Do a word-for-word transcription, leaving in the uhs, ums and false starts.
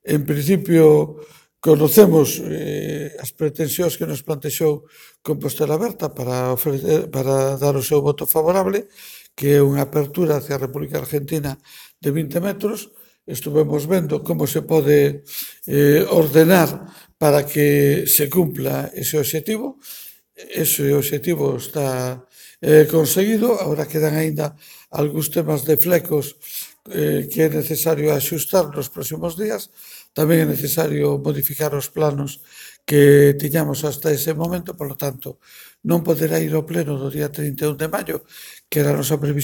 En principio, conocemos eh, as pretensións que nos plantexou Compostela Aberta para, ofrecer, para dar o seu voto favorable, que é unha apertura hacia a República Argentina de vinte metros. Estuvemos vendo como se pode eh, ordenar para que se cumpla ese obxectivo. Ese obxectivo está eh, conseguido. Agora quedan aínda algúns temas de flecos eh, que é necesario axustar nos próximos días. Tamén é necesario modificar os planos que tiñamos hasta ese momento, polo tanto, non poderá ir ao pleno do día trinta e un de maio, que era a nosa previsión,